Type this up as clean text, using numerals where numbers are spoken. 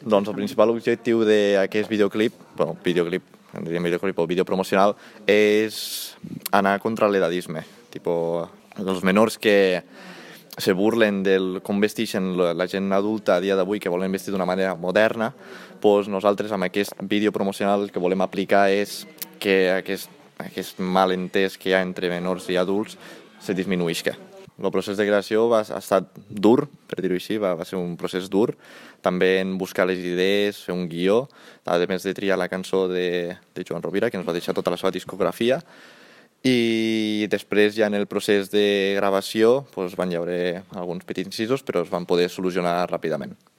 Doncs el principal objectiu d'aquest videoclip, en diríem videoclip o vídeo promocional, és anar contra l'edadisme. Tipo, els menors que se burlen del com vesteixen la gent adulta a dia d'avui, que volen vestir d'una manera moderna, doncs nosaltres amb aquest vídeo promocional el que volem aplicar és que aquest malentès que hi ha entre menors i adults se disminuïsca. El procés de creació ha estat dur, per dir-ho així, va ser un procés dur. També en buscar les idees, fer un guió, a més de triar la cançó de Joan Rovira, que ens va deixar tota la seva discografia, i després ja en el procés de gravació van hi haver alguns petits incisos, però es van poder solucionar ràpidament.